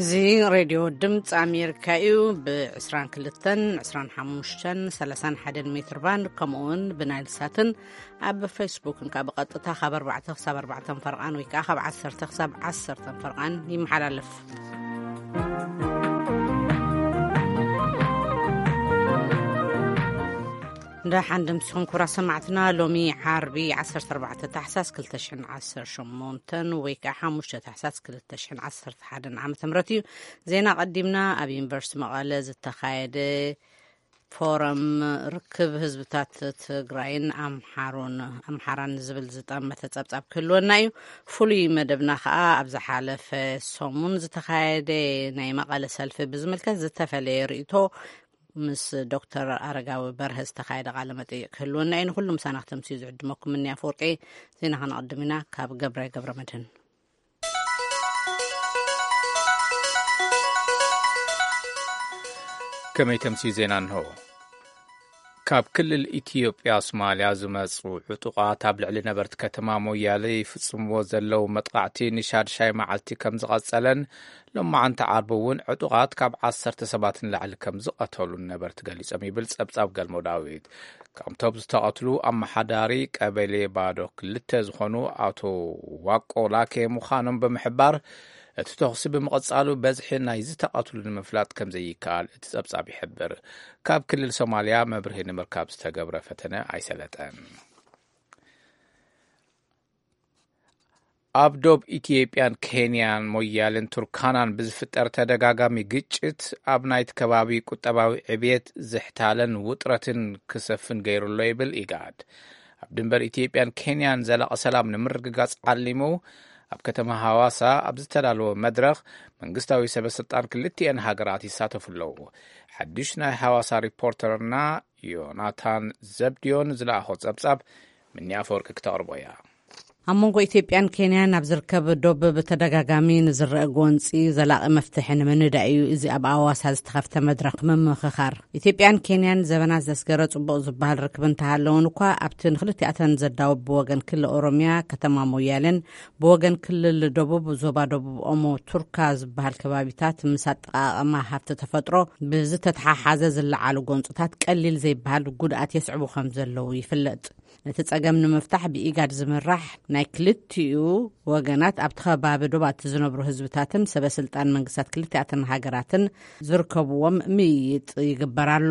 እዚ ሬድዮ ድምፂ ኣሜሪካ እዩ። ብ22፣ 25፣ 31 ሜትር ባንድ፣ ከምኡ እውን ብናይል ሳትን ኣብ ፌስቡክን ካብ ብቐጥታ ካብ ኣርባዕተ ክሳብ ኣርባዕተ ፈርቓን ወይ ከዓ ካብ ዓሰርተ ክሳብ ዓሰርተ ፈርቓን ይመሓላለፍ። እንዳ ሓንድምስኹም ኩራ ሰማዕትና፣ ሎሚ ዓርቢ ዓሰርተ ኣርባዕተ ታሕሳስ ክልተ ሽሕን ዓሰርተ ሸሞንተን ወይ ከዓ ሓሙሽተ ታሕሳስ ክልተ ሽሕን ዓሰርተ ሓደን ዓመተ ምህረት እዩ። ዜና ቀዲምና። ኣብ ዩኒቨርሲቲ መቐለ ዝተኻየደ ፎረም ርክብ ህዝብታት ትግራይን ኣምሓሩን፣ ኣምሓራን ዝብል ዝጠመተ ጸብጻብ ክህልወና እዩ። ፍሉይ መደብና ከዓ ኣብ ዝሓለፈ ሰሙን ዝተኻየደ ናይ መቐለ ሰልፊ ብዝምልከት ዝተፈለየ ርእይቶ ምስ ዶክተር ኣረጋዊ በርሀ ዝተኻየደ ቃለ መጠይቅ ክህልወና እዩ። ንኩሉ ምሳና ክተምስዩ ዝዕድመኩም እኒ ኣፈወርቂ። ዜና ከነቐድም ኢና። ካብ ገብረ ገብረ መድህን። ከመይ ተምስዩ ዜና እንሆ። ካብ ክልል ኢትዮጵያ ሶማልያ ዝመጹ ዕጡቓት ኣብ ልዕሊ ነበርቲ ከተማ ሞያሌ ይፍጽምዎ ዘለዉ መጥቓዕቲ ንሻድሻይ መዓልቲ ከም ዝቐጸለን፣ ሎማዓንቲ ዓርቢ እውን ዕጡቓት ካብ ዓሰርተ ሰባት ንላዕሊ ከም ዝቐተሉን ነበርቲ ገሊጾም ይብል ጸብጻብ ገልሞ ዳዊት። ካብቶም ዝተቐትሉ ኣመሓዳሪ ቀበሌ ባዶ ክልተ ዝኾኑ ኣቶ ዋቆ ላኬ ምዃኖም ብምሕባር፣ እቲ ተኹሲ ብምቕጻሉ በዝሒ ናይ ዝተቐትሉ ንምፍላጥ ከም ዘይከኣል እቲ ጸብጻብ ይሕብር። ካብ ክልል ሶማልያ መብርሂ ንምርካብ ዝተገብረ ፈተነ ኣይሰለጠን። ኣብ ዶብ ኢትዮጵያን ኬንያን ሞያልን ቱርካናን ብዝፍጠር ተደጋጋሚ ግጭት ኣብ ናይቲ ከባቢ ቁጠባዊ ዕብየት ዝሕታለን ውጥረትን ክሰፍን ገይሩ ኣሎ ይብል ኢጋድ። ኣብ ድንበር ኢትዮጵያን ኬንያን ዘላቒ ሰላም ንምርግጋጽ ዓሊሙ ኣብ ከተማ ሃዋሳ ኣብ ዝተዳለወ መድረኽ መንግስታዊ ሰበ ስልጣን ክልቲኤን ሃገራት ይሳተፉ ኣለዉ። ሓድሽ ናይ ሃዋሳ ሪፖርተርና ዮናታን ዘብድዮን ዝለኣኾ ጸብጻብ ምኒ ኣፈወርቂ ክተቕርቦ እያ። ኣብ መንጎ ኢትዮጵያን ኬንያን ኣብ ዝርከብ ዶብ ብተደጋጋሚ ንዝረአ ጎንፂ ዘላቒ መፍትሒ ንምንዳእ እዩ እዚ ኣብ ኣዋሳ ዝተኸፍተ መድረኽ ምምኽኻር። ኢትዮጵያን ኬንያን ዘበናት ዘስገረ ጽቡቕ ዝበሃል ርክብ እንተሃለውን እኳ፣ ኣብቲ ንክልቲኣተን ዘዳውብ ብወገን ክልል ኦሮሚያ ከተማ ሞያሌን ብወገን ክልል ደቡብ ዞባ ደቡብ ኦሞ ቱርካ ዝበሃል ከባቢታት ምስ ኣጠቓቕማ ሃብቲ ተፈጥሮ ብዝተተሓሓዘ ዝለዓሉ ጎንፅታት ቀሊል ዘይበሃል ጉድኣት የስዕቡ ከም ዘለዉ ይፍለጥ። ነቲ ጸገም ንምፍታሕ ብኢጋድ ዝምራሕ ናይ ክልቲኡ ወገናት ኣብቲ ከባቢ ዶባት ዝነብሩ ህዝብታትን ሰበ ስልጣን መንግስታት ክልቲኣተን ሃገራትን ዝርከብዎም ምይይጥ ይግበር ኣሎ።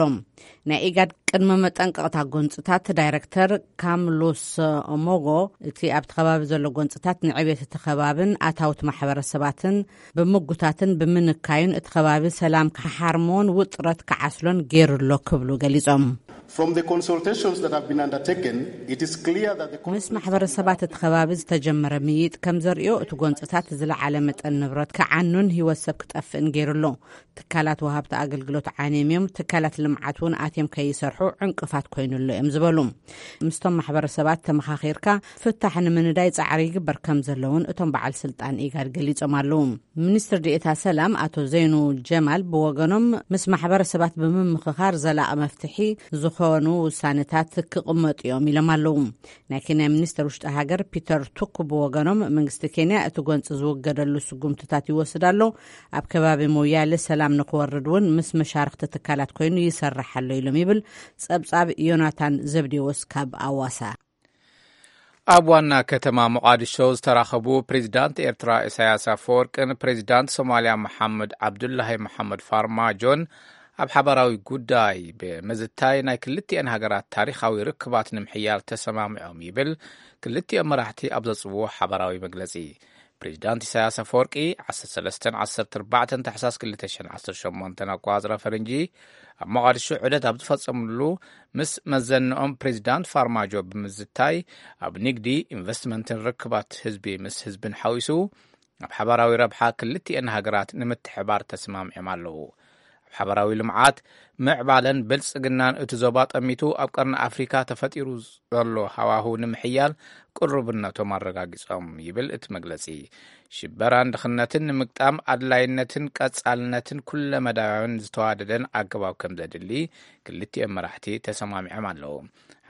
ናይ ኢጋድ ቅድመ መጠንቀቕታ ጎንጽታት ዳይረክተር ካምሉስ ኦሞጎ፣ እቲ ኣብቲ ከባቢ ዘሎ ጎንጽታት ንዕብየት እቲ ከባብን ኣታውት ማሕበረሰባትን ብምጉታትን ብምንካዩን እቲ ከባቢ ሰላም ክሓርሞን ውጥረት ክዓስሎን ገይሩ ኣሎ ክብሉ ገሊጾም። From the consultations that have been undertaken, it is clear that the ምስ ማሕበረሰባት እቲ ከባቢ ዝተጀመረ ምይጥ ከም ዘርእዮ፣ እቲ ጎንፅታት ዝለዓለ መጠን ንብረት ክዓኑን ህይወት ሰብ ክጠፍእን ገይሩ ኣሎ። ትካላት ወሃብቲ ኣገልግሎት ዓንዮም እዮም። ትካላት ልምዓት እውን ኣትዮም ከይሰርሑ ዕንቅፋት ኮይኑ ኣሎ እዮም ዝበሉ። ምስቶም ማሕበረሰባት ተመኻኺርካ ፍታሕ ንምንዳይ ጻዕሪ ይግበር ከም ዘለውን እቶም በዓል ስልጣን ኢጋድ ገሊጾም ኣለዉ። ሚኒስትር ዴኤታ ሰላም ኣቶ ዘይኑ ጀማል ብወገኖም፣ ምስ ማሕበረሰባት ብምምኽኻር ዘላቒ መፍትሒ ዝኾኑ ውሳነታት ክቕመጡ እዮም ኢሎም ኣለዉ። ናይ ኬንያ ሚኒስትር ውሽጢ ሃገር ፒተር ቱክ ብወገኖም፣ መንግስቲ ኬንያ እቲ ጎንፂ ዝውገደሉ ስጉምትታት ይወስድ ኣሎ፣ ኣብ ከባቢ ሞያሌ ሰላም ንክወርድ እውን ምስ መሻርክቲ ትካላት ኮይኑ ይሰርሕ ኣሎ ኢሎም ይብል ጸብጻብ ዮናታን ዘብዴዎስ ካብ ኣዋሳ። ኣብ ዋና ከተማ ሞቓዲሾ ዝተራኸቡ ፕሬዚዳንት ኤርትራ ኢሳያስ ኣፈወርቅን ፕሬዚዳንት ሶማልያ መሓመድ ዓብዱላሂ መሓመድ ፋርማጆን ኣብ ሓባራዊ ጉዳይ ብምዝታይ ናይ ክልቲኤን ሃገራት ታሪኻዊ ርክባት ንምሕያል ተሰማሚዖም ይብል ክልቲኦም መራሕቲ ኣብ ዘውፅዎ ሓባራዊ መግለፂ። ፕሬዚዳንት ኢሳያስ ኣፈወርቂ ዓሰርተ ሰለስተን ዓሰርተ ኣርባዕተን ታሕሳስ ክልተ ሽሕን ዓሰርተ ሸሞንተን ኣቆጻጽራ ፈረንጂ ኣብ ሞቓዲሾ ዑደት ኣብ ዝፈጸምሉ ምስ መዘንኦም ፕሬዚዳንት ፋርማጆ ብምዝታይ ኣብ ንግዲ፣ ኢንቨስትመንትን ርክባት ህዝቢ ምስ ህዝብን ሓዊሱ ኣብ ሓባራዊ ረብሓ ክልቲኤን ሃገራት ንምትሕባር ተስማሚዖም ኣለዉ። ኣብ ሓባራዊ ልምዓት፣ ምዕባለን ብልጽግናን እቲ ዞባ ጠሚቱ ኣብ ቀርኒ ኣፍሪካ ተፈጢሩ ዘሎ ሃዋሁ ንምሕያል ቅሩብነቶም ኣረጋጊጾም ይብል እቲ መግለጺ። ሽበራን ድኽነትን ንምግጣም ኣድላይነትን ቀጻልነትን ኩለመዳያውን ዝተዋደደን ኣገባብ ከም ዘድሊ ክልቲኦም መራሕቲ ተሰማሚዖም ኣለዉ።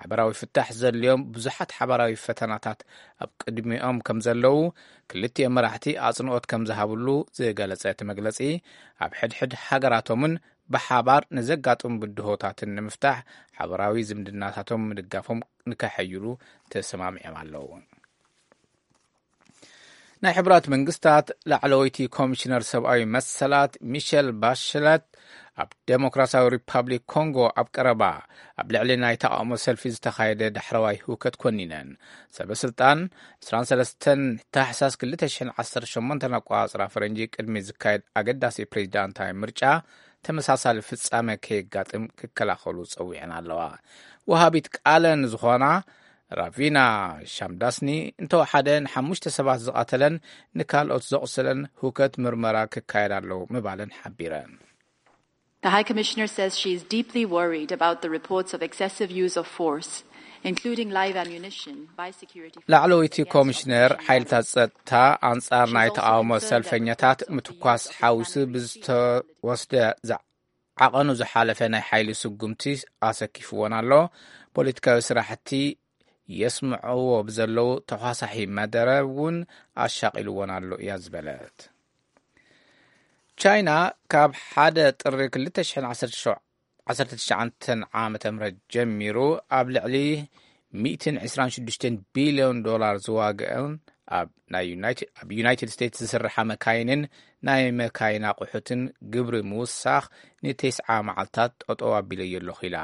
ሓበራዊ ፍታሕ ዘድልዮም ብዙሓት ሓበራዊ ፈተናታት ኣብ ቅድሚኦም ከም ዘለዉ ክልቲኦም መራሕቲ ኣጽንኦት ከም ዝሃብሉ ዝገለጸ እቲ መግለጺ፣ ኣብ ሕድሕድ ሃገራቶምን ብሓባር ንዘጋጥሙ ብድሆታትን ንምፍታሕ ሓበራዊ ዝምድናታቶም ምድጋፎም ንከሐይሉ ተሰማሚዖም ኣለዉ። ናይ ሕቡራት መንግስታት ላዕለወይቲ ኮሚሽነር ሰብኣዊ መሰላት ሚሸል ባሽለት ኣብ ዴሞክራሲያዊ ሪፓብሊክ ኮንጎ ኣብ ቀረባ ኣብ ልዕሊ ናይ ተቓውሞ ሰልፊ ዝተኻየደ ዳሕረዋይ ህውከት ኮኒነን። ሰበ ስልጣን ዕስራን ሰለስተን ታሕሳስ ክልተ ሽሕን ዓሰርተ ሸሞንተን ኣቆጻጽራ ፈረንጂ ቅድሚ ዝካየድ ኣገዳሲ ፕሬዚዳንታዊ ምርጫ ተመሳሳሊ ፍጻመ ከየጋጥም ክከላኸሉ ጸዊዐን ኣለዋ። ወሃቢት ቃለን ዝኾና ራቪና ሻምዳስኒ እንተወሓደ ንሓሙሽተ ሰባት ዝቐተለን ንካልኦት ዘቑሰለን ህውከት ምርመራ ክካየድ ኣለዉ ምባለን ሓቢረን። The High Commissioner says she is deeply worried about the reports of excessive use of force, including live ammunition, by security forces. ላዕለወይቲ ኮሚሽነር ሓይልታት ጸጥታ ኣንጻር ናይ ተቓውሞ ሰልፈኛታት ምትኳስ ሓዊሱ ብዝተወስደ ዓቐኑ ዝሓለፈ ናይ ሓይሊ ስጉምቲ ኣሰኪፍዎን ኣሎ። ፖለቲካዊ ስራሕቲ የስምዕዎ ብዘለዉ ተኳሳሒ መደረ እውን ኣሻቒልዎን ኣሎ እያ ዝበለት። ቻይና ካብ ሓደ ጥሪ ክልተ ሽሕን ዓሰርተ ትሽዓተን ዓመተ ምህረት ጀሚሩ ኣብ ልዕሊ ሚእትን ዕስራን ሽዱሽተን ቢልዮን ዶላር ዝዋግአን ኣብ ናይ ዩናይትድ ኣብ ዩናይትድ ስቴትስ ዝስርሓ መካይንን ናይ መካይን ኣቑሑትን ግብሪ ምውሳኽ ንተስዓ መዓልታት ጠጠው ኣቢለዮ ኣለኹ ኢላ።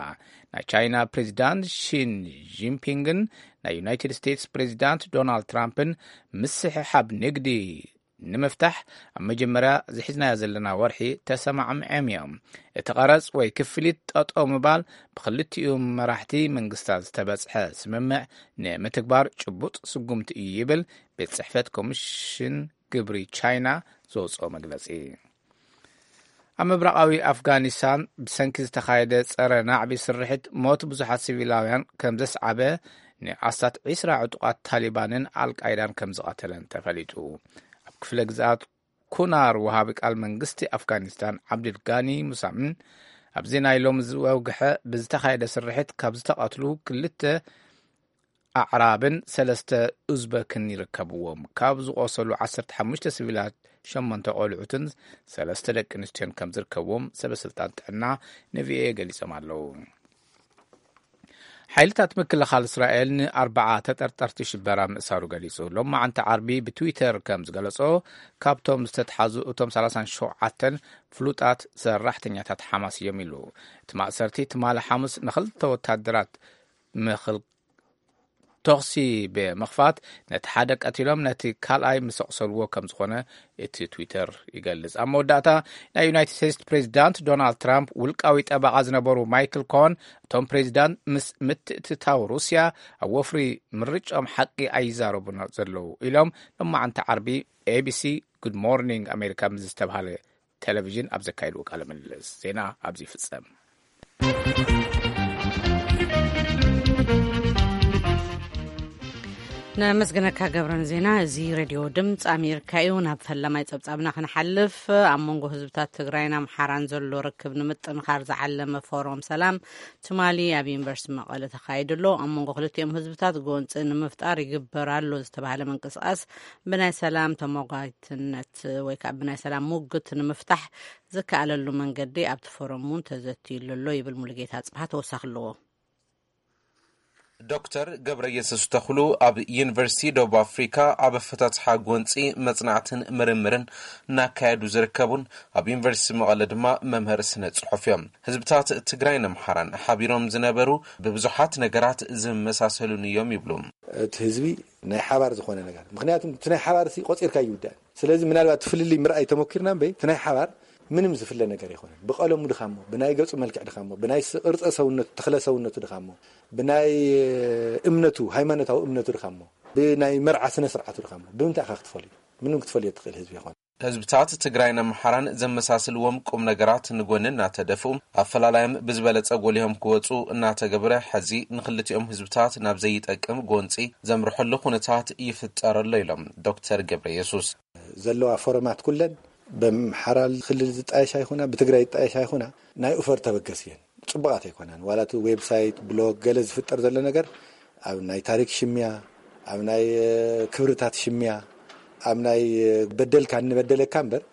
ናይ ቻይና ፕሬዚዳንት ሺን ጂንፒንግን ናይ ዩናይትድ ስቴትስ ፕሬዚዳንት ዶናልድ ትራምፕን ምስሕሓብ ንግዲ ንምፍታሕ ኣብ መጀመርያ ዝሒዝናዮ ዘለና ወርሒ ተሰማዕምዐም እዮም። እቲ ቀረጽ ወይ ክፍሊት ጠጠው ምባል ብክልቲኡ መራሕቲ መንግስታት ዝተበጽሐ ስምምዕ ንምትግባር ጭቡጥ ስጉምቲ እዩ ይብል ቤት ጽሕፈት ኮሚሽን ግብሪ ቻይና ዘውፅኦ መግለፂ። ኣብ ምብራቓዊ ኣፍጋኒስታን ብሰንኪ ዝተኻየደ ጸረ ናዕቢ ስርሒት ሞት ብዙሓት ሲቪላውያን ከም ዘስዓበ ንኣስታት ዒስራ ዕጡቓት ታሊባንን ኣልቃይዳን ከም ዝቐተለን ተፈሊጡ። ኣብ ክፍለ ግዝኣት ኩናር ወሃቢ ቃል መንግስቲ ኣፍጋኒስታን ዓብድልጋኒ ሙሳምን ኣብዚ ናይ ሎሚ ዝወግሐ ብዝተኻየደ ስርሒት ካብ ዝተቐትሉ ክልተ ኣዕራብን ሰለስተ ኡዝበክን ይርከብዎም። ካብ ዝቆሰሉ ዓሰርተ ሓሙሽተ ሲቪላት ሸሞንተ ቆልዑትን ሰለስተ ደቂ ኣንስትዮን ከም ዝርከብዎም ሰበ ስልጣን ጥዕና ንቪኦኤ ገሊጾም ኣለዉ። ሓይልታት ምክልኻል እስራኤል ንኣርባዓ ተጠርጠርቲ ሽበራ ምእሳሩ ገሊጹ። ሎማዓንቲ ዓርቢ ብትዊተር ከም ዝገለጾ፣ ካብቶም ዝተትሓዙ እቶም ሰላሳን ሸውዓተን ፍሉጣት ሰራሕተኛታት ሓማስ እዮም ኢሉ። እቲ ማእሰርቲ ትማሊ ሓሙስ ንኽልተ ወታደራት ምኽል ተኹሲ ብምኽፋት ነቲ ሓደ ቀቲሎም ነቲ ካልኣይ ምስ ኣቑሰልዎ ከም ዝኾነ እቲ ትዊተር ይገልጽ። ኣብ መወዳእታ ናይ ዩናይትድ ስቴትስ ፕሬዚዳንት ዶናልድ ትራምፕ ውልቃዊ ጠበቓ ዝነበሩ ማይክል ኮን እቶም ፕሬዚዳንት ምስ ምትእትታው ሩስያ ኣብ ወፍሪ ምርጫኦም ሓቂ ኣይዛረቡን ዘለዉ ኢሎም ሎማዓንቲ ዓርቢ ኤቢሲ ጉድ ሞርኒንግ ኣሜሪካ ምስ ዝተብሃለ ቴሌቪዥን ኣብ ዘካየድዎ ቃለ ምልልስ። ዜና ኣብዚ ይፍጸም። ነመስግነካ ገብረን ዜና። እዚ ሬድዮ ድምፂ ኣሜሪካ እዩ። ናብ ፈላማይ ፀብፃብና ክንሓልፍ፣ ኣብ መንጎ ህዝብታት ትግራይን ኣምሓራን ዘሎ ርክብ ንምጥንኻር ዝዓለመ ፎረም ሰላም ትማሊ ኣብ ዩኒቨርሲቲ መቐለ ተኻይዱ ኣሎ። ኣብ መንጎ ክልቲኦም ህዝብታት ጎንፂ ንምፍጣር ይግበር ኣሎ ዝተባሃለ ምንቅስቃስ ብናይ ሰላም ተመጓይትነት ወይ ከዓ ብናይ ሰላም ሙግት ንምፍታሕ ዝከኣለሉ መንገዲ ኣብቲ ፎረም እውን ተዘትዩሉ ኣሎ ይብል ሙሉጌታ ኣፅብሃ። ተወሳኺ ኣለዎ። ዶክተር ገብረ የሱስ ተኽሉ ኣብ ዩኒቨርሲቲ ደቡብ ኣፍሪካ ኣብ ኣፈታትሓ ጎንፂ መፅናዕትን ምርምርን እናካየዱ ዝርከቡን ኣብ ዩኒቨርሲቲ መቐለ ድማ መምህር ስነ ፅሑፍ እዮም። ህዝብታት ትግራይን ኣምሓራን ሓቢሮም ዝነበሩ ብብዙሓት ነገራት ዝመሳሰሉን እዮም ይብሉ። እቲ ህዝቢ ናይ ሓባር ዝኾነ ነገር፣ ምክንያቱ እቲ ናይ ሓባር ሲ ቆፂርካ ይውዳእ። ስለዚ ምናልባት እቲ ፍልልይ ምርኣይ ተሞኪርና እምበይ እቲ ናይ ሓባር ምንም ዝፍለ ነገር ኣይኮነን። ብቀለሙ ድኻሞ፣ ብናይ ገፁ መልክዕ ድኻሞ፣ ብናይ ስ- ቅርፀ ሰውነቱ፣ ተክለ ሰውነቱ ድኻሞ፣ ብናይ እምነቱ፣ ሃይማኖታዊ እምነቱ ድኻሞ፣ ብናይ መርዓ ስነ ስርዓቱ ድኻሞ፣ ብምንታይ ኢኻ ክትፈልዮ? ምንም ክትፈልዮ ትኽእል ህዝቢ ይኾን። ህዝብታት ትግራይን ኣምሓራን ዘመሳስልዎም ቁም ነገራት ንጎኒ እናተደፍኡ ኣፈላላዮም ብዝበለፀ ጎሊሆም ክወፁ እናተገብረ ሕዚ ንክልቲኦም ህዝብታት ናብ ዘይጠቅም ጎንፂ ዘምርሐሉ ኩነታት ይፍጠር ኣሎ ኢሎም ዶክተር ገብረ የሱስ። ዘለዋ ፎረማት ኩለን ብኣምሓራ ክልል ዝጣየሻ ይኹና ብትግራይ ዝጣየሻ ይኹና ናይ ኡፈር ተበገስ እየን። ጽቡቓት ኣይኮናን። ዋላ እቲ ዌብሳይት፣ ብሎግ፣ ገለ ዝፍጠር ዘሎ ነገር ኣብ ናይ ታሪክ ሽምያ፣ ኣብ ናይ ክብርታት ሽምያ፣ ኣብ ናይ በደልካ እንበደለካ እምበር፣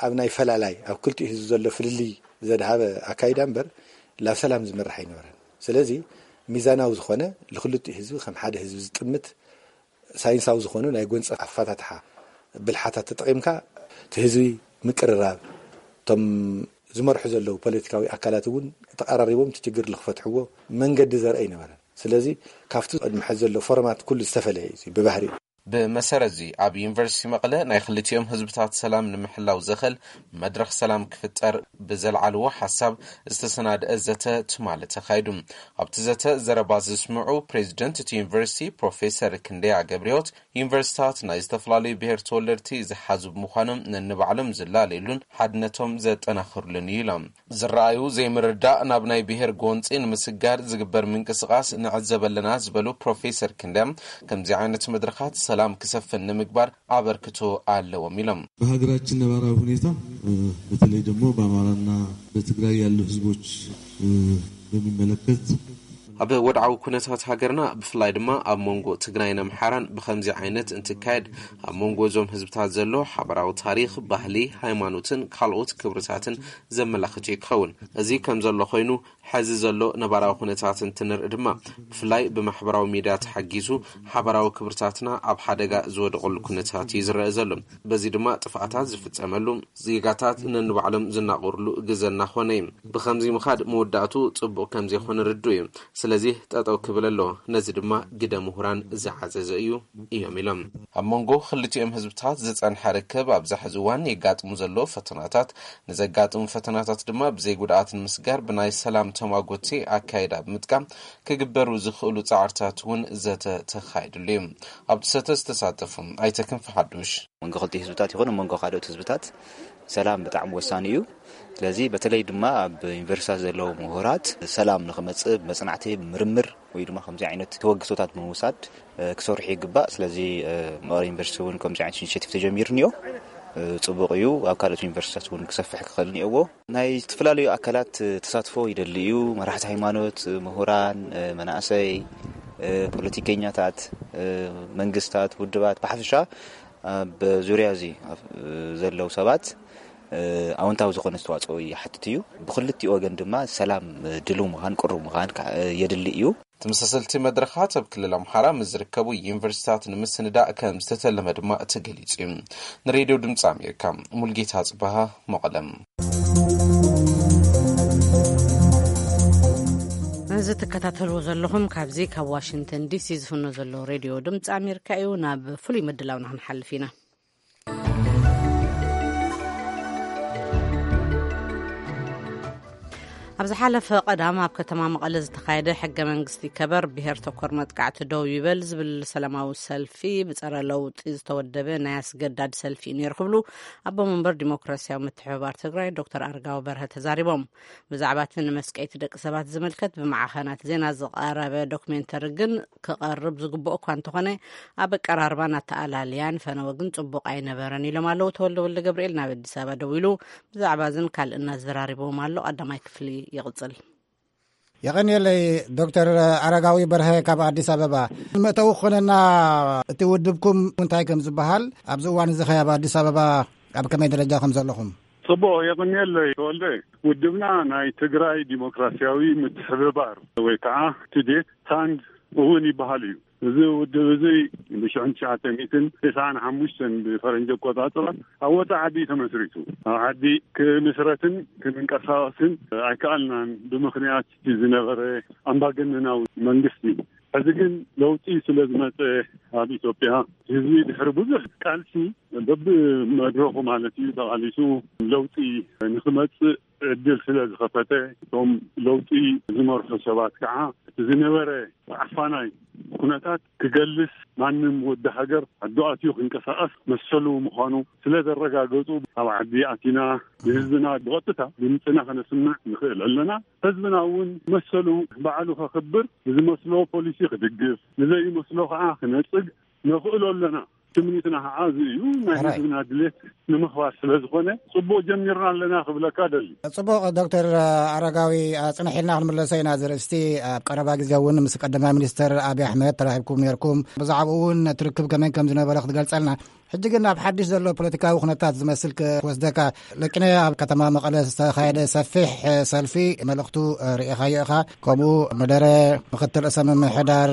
ኣብ ናይ ፈላላይ፣ ኣብ ክልቲኡ ህዝቢ ዘሎ ፍልልይ ዘድሃበ ኣካይዳ እምበር፣ ላብ ሰላም ዝመርሕ ኣይነበረን። ስለዚ ሚዛናዊ ዝኾነ፣ ንክልቲኡ ህዝቢ ከም ሓደ ህዝቢ ዝጥምት፣ ሳይንሳዊ ዝኾኑ ናይ ጎንፂ ኣፈታትሓ ብልሓታት ተጠቒምካ፣ እቲ ህዝቢ ምቅርራብ፣ እቶም ዝመርሑ ዘለዉ ፖለቲካዊ ኣካላት እውን ተቐራሪቦም እቲ ችግር ንክፈትሕዎ መንገዲ ዘርኢ ኣይነበረን። ስለዚ ካብቲ ቅድሚ ሕዚ ዘሎ ፎርማት ኩሉ ዝተፈለየ እዩ ብባህሪ። ብመሰረት እዚ ኣብ ዩኒቨርሲቲ መቐለ ናይ ክልቲኦም ህዝብታት ሰላም ንምሕላው ዘኽእል መድረኽ ሰላም ክፍጠር ብዘልዓልዎ ሓሳብ ዝተሰናደአ ዘተ ትማሊ ተኻይዱ። ኣብቲ ዘተ ዘረባ ዝስምዑ ፕሬዚደንት እቲ ዩኒቨርሲቲ ፕሮፌሰር ክንደያ ገብረሕይወት፣ ዩኒቨርሲታት ናይ ዝተፈላለዩ ብሔር ተወለድቲ ዝሓዙ ብምዃኖም ነንባዕሎም ዝላለዩሉን ሓድነቶም ዘጠናኽሩሉን እዩ ኢሎም። ዝረኣዩ ዘይምርዳእ ናብ ናይ ብሔር ጎንፂ ንምስጋር ዝግበር ምንቅስቓስ ንዕዘብ ኣለና ዝበሉ ፕሮፌሰር ክንደያ፣ ከምዚ ዓይነት መድረኻት ሰላም ክሰፍን ንምግባር ኣበርክቶ ኣለዎም ኢሎም። በሀገራችን ነባራዊ ሁኔታ፣ እ፣ በተለይ ደግሞ በአማራና በትግራይ ያሉ ህዝቦች፣ እ፣ በሚመለከት፣ ኣብ ወድዓዊ ኩነታት ሃገርና፣ ብፍላይ ድማ ኣብ መንጎ ትግራይን ኣምሓራን ብኸምዚ ዓይነት እንትካየድ፣ ኣብ መንጎ እዞም ህዝብታት ዘሎ ሓበራዊ ታሪኽ፣ ባህሊ፣ ሃይማኖትን ካልኦት ክብርታትን ዘመላኽት እዩ ክኸውን። እዚ ከም ዘሎ ኮይኑ፣ ሕዚ ዘሎ ነባራዊ ኩነታት እንትንርኢ ድማ፣ ብፍላይ ብማሕበራዊ ሚድያ ተሓጊዙ ሓበራዊ ክብርታትና ኣብ ሓደጋ ዝወደቐሉ ኩነታት እዩ ዝረአ ዘሎ። በዚ ድማ ጥፍኣታት ዝፍጸመሉ፣ ዜጋታት ነንባዕሎም ዝናቆርሉ ግዘ እናኾነ እዩ። ብኸምዚ ምኻድ መወዳእቱ ጽቡቕ ከም ዘይኮነ ርዱእ እዩ። ስለዚ ጠጠው ክብል ኣለዎ። ነዚ ድማ ግደ ምሁራን ዝዓዘዘ እዩ እዮም ኢሎም። ኣብ መንጎ ክልቲኦም ህዝብታት ዝጸንሐ ርክብ ኣብዚ ሕዚ እዋን የጋጥሙ ዘለዉ ፈተናታት፣ ንዘጋጥሙ ፈተናታት ድማ ብዘይ ጉድኣት ንምስጋር ብናይ ሰላም ተማጎቲ ኣካይዳ ብምጥቃም ክግበሩ ዝኽእሉ ጻዕርታት እውን ዘተ ተኻይድሉ እዩ። ኣብቲ ዘተ ዝተሳተፉ ኣይተ ክንፈ ሓዱሽ፣ መንጎ ክልቲኡ ህዝብታት ይኹን ኣብ መንጎ ካልኦት ህዝብታት ሰላም ብጣዕሚ ወሳኒ እዩ። ስለዚ በተለይ ድማ ኣብ ዩኒቨርሲታት ዘለዉ ምሁራት ሰላም ንኽመጽእ ብመጽናዕቲ፣ ብምርምር ወይ ድማ ከምዚ ዓይነት ተበግሶታት ብምውሳድ፣ እ፣ ክሰርሑ ይግባእ። ስለዚ፣ እ፣ መቐለ ዩኒቨርሲቲ እውን ከምዚ ዓይነት ኢኒሼቲቭ ተጀሚሩ እኒኦ። እ፣ ጽቡቕ እዩ። ኣብ ካልኦት ዩኒቨርሲታት እውን ክሰፍሕ ክኽእል እኒኦዎ። ናይ ዝተፈላለዩ ኣካላት ተሳትፎ ይደሊ እዩ። መራሕቲ ሃይማኖት፣ ምሁራን፣ መናእሰይ፣ ፖለቲከኛታት፣ መንግስታት፣ ውድባት ብሓፈሻ ኣብ ዙርያ እዚ ዘለዉ ሰባት ኣወንታዊ ዝኾነ ኣስተዋፅኦ ይሓትት እዩ። ብክልቲኡ ወገን ድማ ሰላም ድልው ምዃን፣ ቅሩብ ምዃን የድሊ እዩ። ተመሳሰልቲ መድረኻት ኣብ ክልል ኣምሓራ ምስ ዝርከቡ ዩኒቨርሲታት ንምስንዳእ ከም ዝተተለመ ድማ ተገሊጹ እዩ። ንሬድዮ ድምፂ ኣሜሪካ፣ ሙልጌታ ጽበሃ፣ መቐለም። እዚ ትከታተልዎ ዘለኹም ካብዚ ካብ ዋሽንግተን ዲሲ ዝፍኖ ዘሎ ሬድዮ ድምፂ ኣሜሪካ እዩ። ናብ ፍሉይ ምድላውና ክንሓልፍ ኢና። ኣብ ዝሓለፈ ቀዳም ኣብ ከተማ መቐለ ዝተኻየደ ሕገ መንግስቲ ይከበር፣ ብሄር ተኮር መጥቃዕቲ ደው ይበል ዝብል ሰላማዊ ሰልፊ ብጸረ ለውጢ ዝተወደበ ናይ ኣስገዳድ ሰልፊ እዩ ነይሩ ክብሉ ኣቦ መንበር ዲሞክራሲያዊ ምትሕብባር ትግራይ ዶክተር ኣረጋዊ በርሀ ተዛሪቦም። ብዛዕባ እቲ ንመስቀይቲ ደቂ ሰባት ዝምልከት ብማዕኸናት ዜና ዝቐረበ ዶክሜንተሪ ግን ክቐርብ ዝግብኦ እኳ እንተኾነ፣ ኣብ ኣቀራርባን ኣተኣላልያን ፈነወ ግን ጽቡቕ ኣይነበረን ኢሎም ኣለዉ ተወልደ ወልደ ገብርኤል። ናብ ኣዲስ ኣበባ ደዊሉ ብዛዕባ እዝን ካልእን ኣዘራሪብዎም ኣሎ። ቀዳማይ ክፍሊ ይቕጽል። የቐንየለይ ዶክተር ኣረጋዊ በርሀ ካብ ኣዲስ ኣበባ። መእተዊ ክኾነና፣ እቲ ውድብኩም እንታይ ከም ዝበሃል፣ ኣብዚ እዋን እዚ ኸ ኣብ ኣዲስ ኣበባ ኣብ ከመይ ደረጃ ከም ዘለኹም? ጽቡቕ፣ የቐንየለይ ተወልደ። ውድብና ናይ ትግራይ ዲሞክራሲያዊ ምትሕብባር ወይ ከዓ ትዴት ታንድ እውን ይበሃል እዩ። እዚ ውድብ እዚ ብሽሕን ትሽዓተ ሚእትን ተስዓን ሓሙሽተን ብፈረንጂ ኣቆጻጽራ ኣብ ወጻኢ ዓዲ ተመስሪቱ። ኣብ ዓዲ ክምስረትን ክንንቀሳቐስን ኣይከኣልናን፣ ብምኽንያት እቲ ዝነበረ ኣምባገነናዊ መንግስቲ። ሕዚ ግን ለውጢ ስለ ዝመጸ ኣብ ኢትዮጵያ፣ ህዝቢ ድሕሪ ብዙሕ ቃልሲ በብመድረኹ ማለት እዩ ተቓሊሱ ለውጢ ንክመጽእ ዕድል ስለ ዝኸፈተ፣ እቶም ለውጢ ዝመርሑ ሰባት ከዓ እቲ ዝነበረ ዓፋናይ ኩነታት ክገልስ፣ ማንም ወዲ ሃገር ዓዱ ኣትዩ ክንቀሳቐስ መሰሉ ምዃኑ ስለ ዘረጋገጹ፣ ኣብ ዓዲ ኣቲና ንህዝብና ብቐጥታ ድምፅና ከነስምዕ ንኽእል ኣለና። ህዝብና እውን መሰሉ ባዕሉ ከኽብር፣ ንዝመስሎ ፖሊሲ ክድግፍ፣ ንዘይመስሎ ከዓ ክነጽግ ነኽእሎ ኣለና። ትምኒትና ከዓ እዚ እዩ። ናይ ሕራይ። ህዝብና ድሌት ንምኽባር ስለ ዝኾነ፣ ጽቡቕ ጀሚርና ኣለና ክብለካ ደሊ። ጽቡቕ ዶክተር ኣረጋዊ፣ ጽንሕ ኢልና ክንምለሶ ኢና። ዝርእስቲ ኣብ ቀረባ ግዜ እውን ምስ ቀዳማይ ሚኒስትር ኣብይ ኣሕመድ ተራኺብኩም ነርኩም፣ ብዛዕባኡ እውን ትርክብ ከመይ ከም ዝነበረ ክትገልጸልና። ሕጂ ግን ኣብ ሓድሽ ዘሎ ፖለቲካዊ ኩነታት ዝመስል ክወስደካ። ለቂነ ኣብ ከተማ መቐለ ዝተኻየደ ሰፊሕ ሰልፊ፣ መልእኽቱ ርኢኻዮ ኢኻ። ከምኡ መደረ ምክትል ርእሰ ምምሕዳር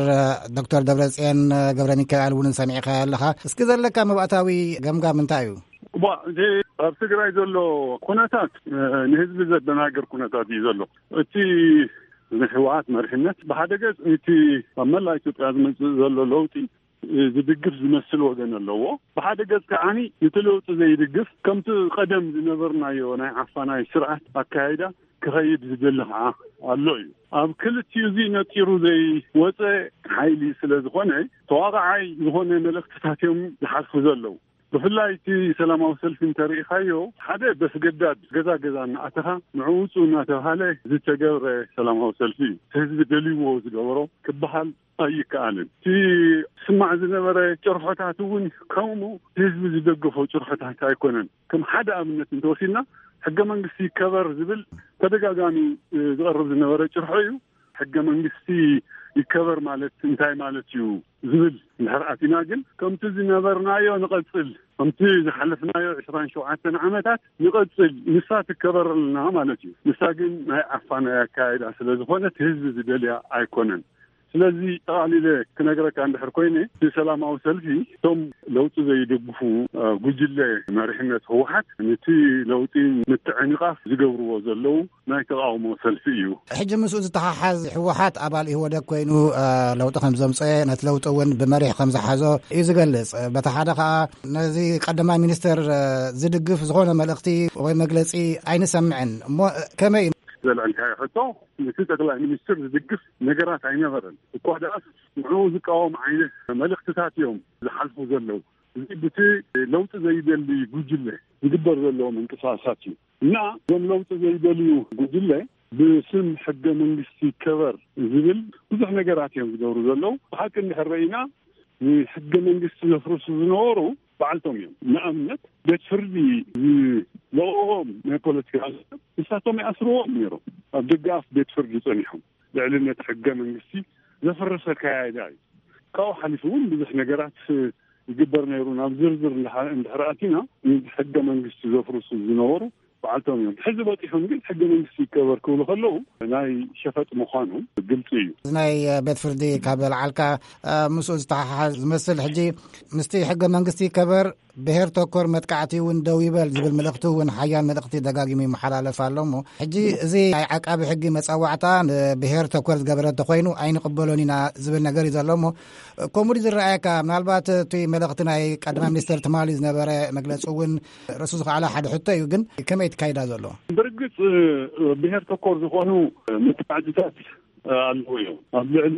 ዶክተር ደብረጽዮን ገብረ ሚካኤል እውን ሰሚዕካዮ ኣለኻ። እስኪ ዘለካ መባእታዊ ገምጋም እንታይ እዩ? እባ፣ እቲ ኣብ ትግራይ ዘሎ ኩነታት፣ እ፣ ንህዝቢ ዘደናግር ኩነታት እዩ ዘሎ። እቲ ናይ ህወሓት መሪሕነት ብሓደ ገጽ እቲ ኣብ መላእ ኢትዮጵያ ዝመጽእ ዘሎ ለውጢ፣ እ፣ ዝድግፍ ዝመስል ወገን ኣለዎ። ብሓደ ገጽ ከዓኒ እቲ ለውጢ ዘይድግፍ፣ ከምቲ ቀደም ዝነበርናዮ ናይ ዓፋናይ ስርዓት ኣካይዳ ክኸይድ ዝደሊ ከዓ ኣሎ እዩ። ኣብ ክልቲኡ እዚ ነጢሩ ዘይወፀ ሓይሊ ስለ ዝኾነ፣ ተዋቃዓይ ዝኾነ መልእኽትታት እዮም ዝሓልፉ ዘለዉ። ብፍላይ እቲ ሰላማዊ ሰልፊ እንተርኢኻዮ፣ ሓደ በስገዳድ ገዛ ገዛ እናኣተኻ ንዕኡ ውፁ እናተባሃለ ዝተገብረ ሰላማዊ ሰልፊ እዩ። እቲ ህዝቢ ደልይዎ ዝገበሮ ክበሃል ኣይከኣልን። እቲ ስማዕ ዝነበረ ጭርሖታት እውን ከምኡ ህዝቢ ዝደገፎ ጭርሖታት ኣይኮነን። ከም ሓደ ኣብነት እንተወሲድና፣ ሕገ መንግስቲ ይከበር ዝብል ተደጋጋሚ፣ እ፣ ዝቐርብ ዝነበረ ጭርሖ እዩ። ሕገ መንግስቲ ይከበር ማለት እንታይ ማለት እዩ ዝብል እንድሕር ኣቲና ግን፣ ከምቲ ዝነበርናዮ ንቐጽል፣ ከምቲ ዝሓለፍናዮ ዕስራን ሸውዓተን ዓመታት ንቐጽል፣ ንሳ ትከበረልና ማለት እዩ። ንሳ ግን ናይ ዓፋናይ ኣካይዳ ስለ ዝኾነት ህዝቢ ዝደልያ ኣይኮነን። ስለዚ ጠቓሊለ ክነግረካ እንድሕር ኮይነ፣ እቲ ሰላማዊ ሰልፊ እቶም ለውጢ ዘይድግፉ፣ እ፣ ጉጅለ መሪሕነት ህወሓት ነቲ ለውጢ ምትዕንቓፍ ዝገብርዎ ዘለዉ ናይ ተቓውሞ ሰልፊ እዩ። ሕጂ ምስኡ ዝተሓሓዝ ህወሓት ኣባል ኢህወደግ ኮይኑ፣ እ፣ ለውጢ ከም ዘምፀአ፣ ነቲ ለውጢ እውን ብመሪሕ ከም ዝሓዞ እዩ ዝገልጽ። በቲ ሓደ ኸኣ ነዚ ቀዳማይ ሚኒስትር፣ እ፣ ዝድግፍ ዝኾነ መልእኽቲ ወይ መግለጺ ኣይንሰምዕን። እሞ፣ እ፣ ከመይ እዩ? ዘልዐልካዮ ሕቶ፣ ነቲ ጠቅላይ ሚኒስትር ዝድግፍ ነገራት ኣይነበረን። እኳ ደኣስ ንዕኡ ዝቃወም ዓይነት መልእኽትታት እዮም ዝሓልፉ ዘለዉ። እዚ ብቲ ለውጢ ዘይደሊ ጉጅለ ዝግበር ዘሎ ምንቅስቃሳት እዩ። እና እዞም ለውጢ ዘይደልዩ ጉጅለ ብስም ሕገ መንግስቲ ይከበር ዝብል ብዙሕ ነገራት እዮም ዝገብሩ ዘለዉ። ብሓቂ እንድሕር ረኢና፣ ንሕገ መንግስቲ ዘፍርሱ ዝነበሩ በዓልቶም እዮም። ንኣብነት፣ ቤት ፍርዲ ዝለቕቖም ናይ ፖለቲካ ንሳቶም ይኣስርዎም ነይሮም። ኣብ ደገ ኣፍ ቤት ፍርዲ ጸኒሖም። ልዕልነት ሕገ መንግስቲ ዘፈረሰ ኣካያይዳ እዩ። ካብኡ ሓሊፉ እውን ብዙሕ ነገራት ይግበር ነይሩ። ናብ ዝርዝር እንድሓ-፣ እንድሕር ኣቲና፣ ንሕገ መንግስቲ ዘፍርሱ ዝነበሩ በዓልቶም እዮም። ሕዚ በፂሖም ግን ሕገ መንግስቲ ይከበር ክብሉ ከለዉ ናይ ሸፈጥ ምዃኑ ግልፂ እዩ። እዚ ናይ ቤት ፍርዲ ካብ ዘልዓልካ፣ እ፣ ምስኡ ዝተሓሓዝ ዝመስል፣ ሕጂ ምስቲ ሕገ መንግስቲ ይከበር፣ ብሄር ተኮር መጥቃዕቲ እውን ደው ይበል ዝብል መልእኽቲ እውን ሓያል መልእኽቲ ደጋጊሙ ይመሓላለፍ ኣሎ። እሞ ሕጂ እዚ ናይ ዓቃቢ ሕጊ መጸዋዕታ ንብሄር ተኮር ዝገበረ እንተኾይኑ ኣይንቕበሎን ኢና ዝብል ነገር እዩ ዘሎ። እሞ ከምኡ ድዩ ዝረኣየካ? ምናልባት እቲ መልእኽቲ ናይ ቀዳማይ ሚኒስትር ትማሊ ዝነበረ መግለጺ እውን ርእሱ ዝኸኣለ ሓደ ሕቶ እዩ። ግን ከመይ ትካይዳ ዘሎ? ብርግጽ፣ ብሄር ተኮር ዝኾኑ መጥቃዕትታት ኣለዉ እዮም። ኣብ ልዕሊ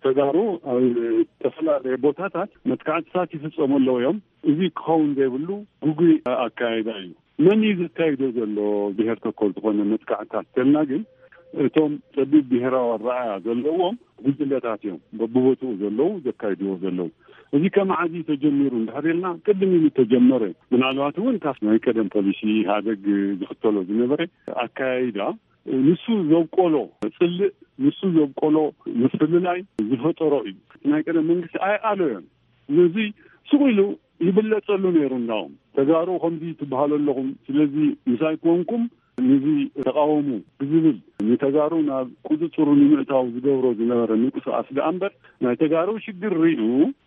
ተጋሩ ኣብ ዝተፈላለየ ቦታታት መጥቃዕትታት ይፍጸሙ ኣለዉ እዮም። እዚ ክኸውን ዘይብሉ ግጉይ ኣካይዳ እዩ። መን እዩ ዘካይዶ ዘሎ ብሄር ተኮር ዝኾነ መጥቃዕትታት ተልና ግን፣ እቶም ጸቢብ ብሄራዊ ኣረኣእያ ዘለዎም ጉጅለታት እዮም በብቦትኡ ዘለዉ ዘካይድዎ ዘለዉ። እዚ ከመዓዚ ተጀሚሩ እንድሕር ኢልና፣ ቅድም ኢሉ ተጀመረ። ምናልባት እውን ካብ ናይ ቀደም ፖሊሲ ኢህኣደግ ዝኽተሎ ዝነበረ ኣካያይዳ፣ ንሱ ዘብቆሎ ጽልእ፣ ንሱ ዘብቆሎ ምፍልላይ ዝፈጠሮ እዩ። ናይ ቀደም መንግስቲ ኣይኣለዮን። ነዚ ስቕ ኢሉ ይብለጸሉ ነይሩ። እንዳውም ተጋሩ ከምዚ ትበሃሉ ኣለኹም፣ ስለዚ ምሳይ ኮንኩም ነዚ ተቃወሙ ብዝብል ንተጋሩ ናብ ቁጽጽሩ ንምእታው ዝገብሮ ዝነበረ ምንቅስቃስ ደኣ እምበር፣ ናይ ተጋሩ ሽግር ሪኡ፣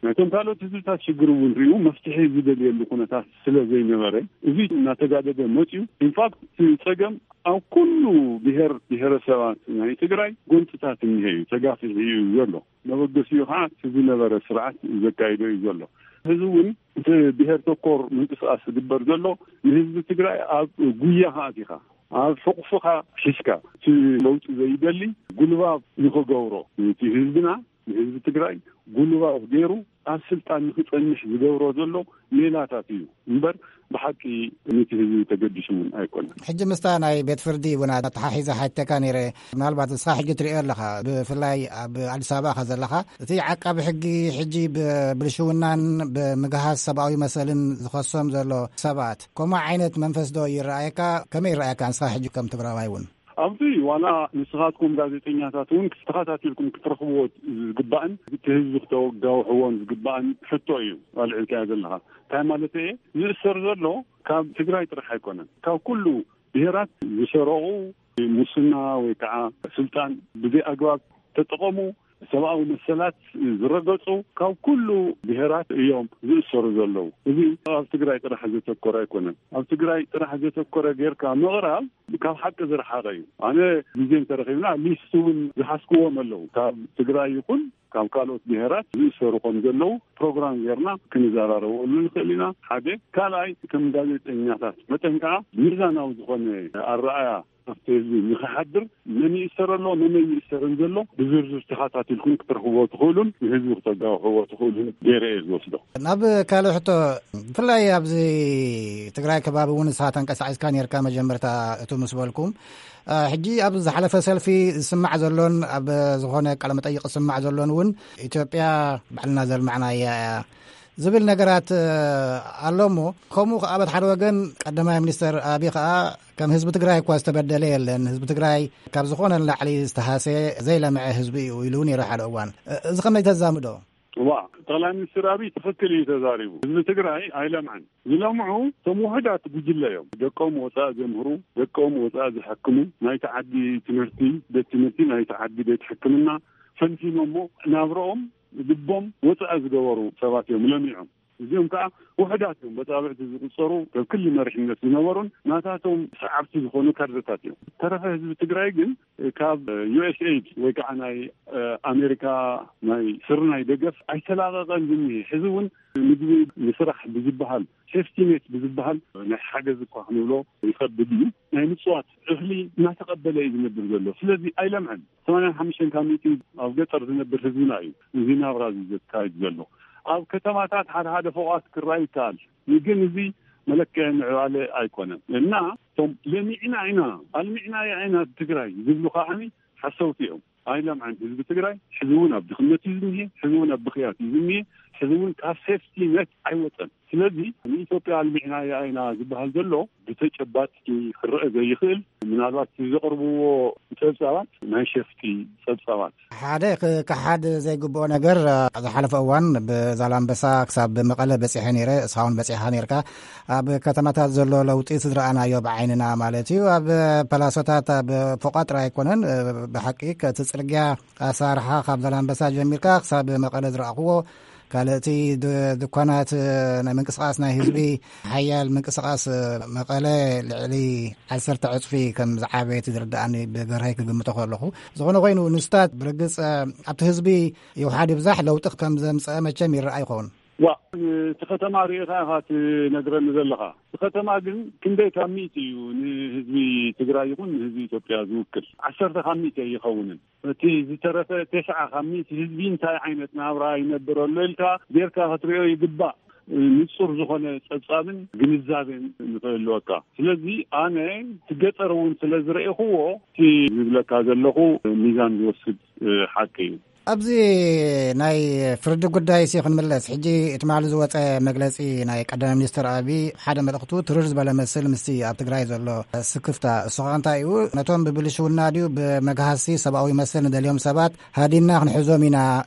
ናይቶም ካልኦት ህዝብታት ሽግር እውን ሪኡ መፍትሒ ዝደልየሉ ኩነታት ስለ ዘይነበረ፣ እዚ እናተጋደደ መጽዩ። ኢንፋክት፣ እቲ ጸገም ኣብ ኩሉ ብሄር ብሄረሰባት ናይ ትግራይ ጎንፅታት እኒሀ እዩ፣ ተጋፊሑ እዩ ዘሎ። መበገሲኡ ከዓ እቲ ዝነበረ ስርዓት ዘካይዶ እዩ ዘሎ። ሕዚ እውን እቲ ብሄር ተኮር ምንቅስቃስ ዝግበር ዘሎ ንህዝቢ ትግራይ ኣብ ጉያኻ ኣቲኻ፣ ኣብ ሕቑፍኻ ሒዝካ፣ እቲ ለውጢ ዘይደሊ ጉልባብ ንኽገብሮ፣ እቲ ህዝብና ንህዝቢ ትግራይ ጉልባብ ገይሩ ኣብ ስልጣን ንክጸንሕ ዝገብሮ ዘሎ ሜላታት እዩ እምበር፣ ብሓቂ ነቲ ህዝቢ ተገዲሱ እውን ኣይኮነን። ሕጂ ምስታ ናይ ቤት ፍርዲ እውን ኣተሓሒዘ ሓተካ ነይረ። ምናልባት ንስኻ ሕጂ ትሪኦ ኣለኻ፣ ብፍላይ ኣብ ኣዲስ ኣበባ ከ ዘለኻ፣ እቲ ዓቃቢ ሕጊ ሕጂ ብብልሽውናን ብምግሃስ ሰብኣዊ መሰልን ዝኸሶም ዘሎ ሰባት፣ ከምኡ ዓይነት መንፈስ ዶ ይረኣየካ? ከመይ ይረኣየካ ንስኻ ሕጂ ከም ትግራዋይ እውን? ኣብዚ ዋላ ንስኻትኩም ጋዜጠኛታት እውን ተኸታቲልኩም ክትረኽብዎ ዝግባእን እቲ ህዝቢ ክተጋውሕዎን ዝግባእን ሕቶ እዩ ኣልዒልካዮ ዘለኻ። እንታይ ማለት እየ? ዝእሰር ዘሎ ካብ ትግራይ ጥራሕ ኣይኮነን። ካብ ኩሉ ብሄራት ዝሰረቑ፣ ሙስና ወይ ከዓ ስልጣን ብዘይ ኣግባብ ተጠቐሙ፣ ሰብኣዊ መሰላት ዝረገጹ ካብ ኩሉ ብሄራት እዮም ዝእሰሩ ዘለዉ። እዚ ኣብ ትግራይ ጥራሕ ዘተኮረ ኣይኮነን። ኣብ ትግራይ ጥራሕ ዘተኮረ ጌርካ ምቕራብ ካብ ሓቂ ዝረሓቐ እዩ። ኣነ ግዜ እንተረኺብና ሊስት እውን ዝሓዝክዎም ኣለዉ። ካብ ትግራይ ይኹን ካብ ካልኦት ብሄራት ዝእሰሩ ከም ዘለዉ ፕሮግራም ጌርና ክንዘራረበሉ ንኽእል ኢና። ሓደ። ካልኣይ፣ ከም ጋዜጠኛታት መጠን ከዓ ሚዛናዊ ዝኾነ ኣረኣያ ኣብቲ ህዝቢ ንኽሓድር መን ይእሰር ኣሎ፣ መን ይእሰርን ዘሎ ብዝርዝር ተኸታቲልኩም ክትረኽብዎ ትኽእሉን ንህዝቢ ክተጋውሕዎ ትኽእሉን ገይረ እየ ዝወስዶ። ናብ ካልእ ሕቶ፣ ብፍላይ ኣብዚ ትግራይ ከባቢ እውን ንስኻ ተንቀሳቒስካ ነርካ መጀመርታ እቱ ምስ በልኩም፣ እ፣ ሕጂ ኣብ ዝሓለፈ ሰልፊ ዝስማዕ ዘሎን ኣብ ዝኾነ ቃለ መጠይቕ ዝስማዕ ዘሎን እውን ኢትዮጵያ ባዕልና ዘልማዕናያ እያ ዝብል ነገራት፣ እ፣ ኣሎ እሞ፣ ከምኡ ከኣ በቲ ሓደ ወገን ቀዳማይ ሚኒስተር ኣቢ ከኣ ከም ህዝቢ ትግራይ እኳ ዝተበደለ የለን፣ ህዝቢ ትግራይ ካብ ዝኾነ ንላዕሊ ዝተሃሰየ ዘይለምዐ ህዝቢ እዩ ኢሉ እውን ነይሩ ሓደ እዋን። እ፣ እዚ ከመይ ተዛምዶ? ዋ፣ ጠቕላይ ሚኒስትር ኣቢ ትኽክል እዩ ተዛሪቡ። ህዝቢ ትግራይ ኣይለምዐን። ዝለምዑ እቶም ውሑዳት ጉጅለ እዮም። ደቆም ወፃእ ዘምህሩ፣ ደቆም ወፃእ ዝሐክሙ፣ ናይቲ ዓዲ ትምህርቲ፣ ቤት ትምህርቲ፣ ናይቲ ዓዲ ቤት ሕክምና ፈንፊኖሞ ናብረኦም ልቦም ወፃእ ዝገበሩ ሰባት እዮም ለሚዖም። እዚኦም ከዓ ውሑዳት እዮም፣ በፃብዕቲ ዝቁፀሩ፣ ካብ ክሊ መሪሕነት ዝነበሩን ናታቶም ሰዓብቲ ዝኾኑ ካድረታት እዮም። ተረፈ ህዝቢ ትግራይ ግን ካብ ዩ ኤስ ኤይድ ወይ ከዓ ናይ፣ እ፣ ኣሜሪካ ናይ ስርናይ ደገፍ ኣይተላቐቐን ዝኒሄ። ሕዚ እውን ምግቢ ንስራሕ ብዝበሃል፣ ሴፍቲ ኔት ብዝበሃል ናይ ሓገዝ እኳ ክንብሎ ይኸብድ እዩ። ናይ ምፅዋት እኽሊ እናተቐበለ እዩ ዝነብር ዘሎ። ስለዚ ኣይለምዐን። ሰማንያን ሓሙሽተን ካብ ሚእቲ ኣብ ገጠር ዝነብር ህዝብና እዩ እዚ ናብራ እዚ ዘካይድ ዘሎ። ኣብ ከተማታት ሓደ ሓደ ፎቓት ክረኣይ ይከኣል። ግን እዚ መለክዒ ምዕባለ ኣይኮነን። እና እቶም ለሚዕና ኢና፣ ኣልሚዕናያ ኢና ትግራይ ዝብሉ ከዓኒ ሓሰውቲ እዮም። ኣይለምዐን ህዝቢ ትግራይ። ሕዚ እውን ኣብ ድኽነት እዩ ዝኒሄ። ሕዚ እውን ኣብ ብኽያት እዩ ዝኒሄ። ሕዚ እውን ካብ ሴፍቲ ኔት ኣይወፀን። ስለዚ ንኢትዮጵያ ኣልሚዕናያ ኢና ዝበሃል ዘሎ ብተጨባጢ ክረአ ዘይኽእል፣ ምናልባት ዘቕርብዎ ጸብጻባት ናይ ሸፍጢ ጸብጻባት። ሓደ ክከሓድ ዘይግብኦ ነገር፣ እ፣ ዝሓለፈ እዋን ብዛላምበሳ ክሳብ መቐለ በጺሐ ነይረ፣ እስኻ እውን በጺሕካ ነይርካ። ኣብ ከተማታት ዘሎ ለውጢ ዝረኣናዮ ብዓይንና ማለት እዩ። ኣብ ፓላሶታት፣ ኣብ ፎቓት ጥራይ ኣይኮነን፣ እ፣ ብሓቂ እቲ ጽርግያ ኣሰራርሓ ካብ ዛላምበሳ ጀሚርካ ክሳብ መቐለ ዝረኣኽዎ፣ ካልእ እቲ ድ-፣ ድኳናት፣ እ፣ ናይ ምንቅስቓስ ናይ ህዝቢ፣ ሓያል ምንቅስቓስ፣ እ፣ መቐለ ልዕሊ ዓሰርተ ዕጽፊ ከም ዝዓበየ እቲ ዝርድኣኒ ብገርሀይ ክግምቶ ከለኹ። ዝኾነ ኮይኑ ንስታት ብርግጽ፣ እ፣ ኣብቲ ህዝቢ ይውሓድ ይብዛሕ ለውጢ ከም ዘምጸአ መቸም ይረኣ ይኸውን። ዋ፣ እቲ ከተማ ርኢኻ ኢኻ ትነግረኒ ዘለኻ። እቲ ከተማ ግን ክንደይ ካብ ሚእቲ እዩ ንህዝቢ ትግራይ ይኹን ንህዝቢ ኢትዮጵያ ዝውክል? ዓሰርተ ካብ ሚእቲ ኣይኸውንን። እቲ ዝተረፈ ተስዓ ካብ ሚእቲ ህዝቢ እንታይ ዓይነት ናብራ ይነብር ኣሎ ኢልካ ጌርካ ክትሪኦ ይግባእ። ንጹር ዝኾነ ጸብጻብን ግንዛቤን ንኽህልወካ። ስለዚ ኣነ እቲ ገጠር እውን ስለ ዝረኤኽዎ እቲ ዝብለካ ዘለኹ ሚዛን ዝወስድ፣ እ፣ ሓቂ እዩ። ኣብዚ ናይ ፍርዲ ጉዳይ ሲ ክንምለስ፣ ሕጂ ትማሊ ዝወጸ መግለጺ ናይ ቀዳማይ ሚኒስትር ኣቢ ሓደ መልእኽቱ ትርር ዝበለ መስል ምስቲ ኣብ ትግራይ ዘሎ ስክፍታ። እሱ ኸኣ እንታይ እዩ? ነቶም ብብልሽውና ድዩ ብመግሃሲ ሰብኣዊ መሰል ንደልዮም ሰባት ሃዲንና ክንሕዞም ኢና